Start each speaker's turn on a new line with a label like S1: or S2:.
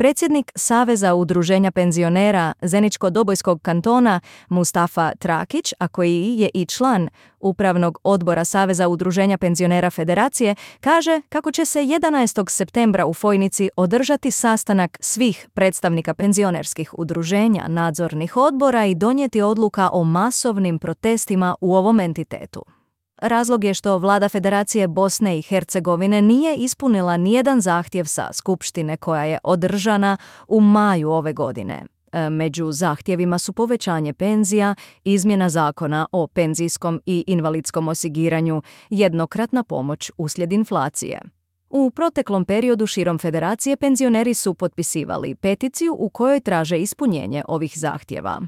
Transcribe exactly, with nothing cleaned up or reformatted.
S1: Predsjednik Saveza udruženja penzionera Zeničko-Dobojskog kantona Mustafa Trakić, a koji je i član Upravnog odbora Saveza udruženja penzionera Federacije, kaže kako će se jedanaestog septembra u Fojnici održati sastanak svih predstavnika penzionerskih udruženja, nadzornih odbora i donijeti odluka o masovnim protestima u ovom entitetu. Razlog je što vlada Federacije Bosne i Hercegovine nije ispunila nijedan zahtjev sa skupštine koja je održana u maju ove godine. Među zahtjevima su povećanje penzija, izmjena zakona o penzijskom i invalidskom osiguranju, jednokratna pomoć uslijed inflacije. U proteklom periodu širom Federacije penzioneri su potpisivali peticiju u kojoj traže ispunjenje ovih zahtjeva.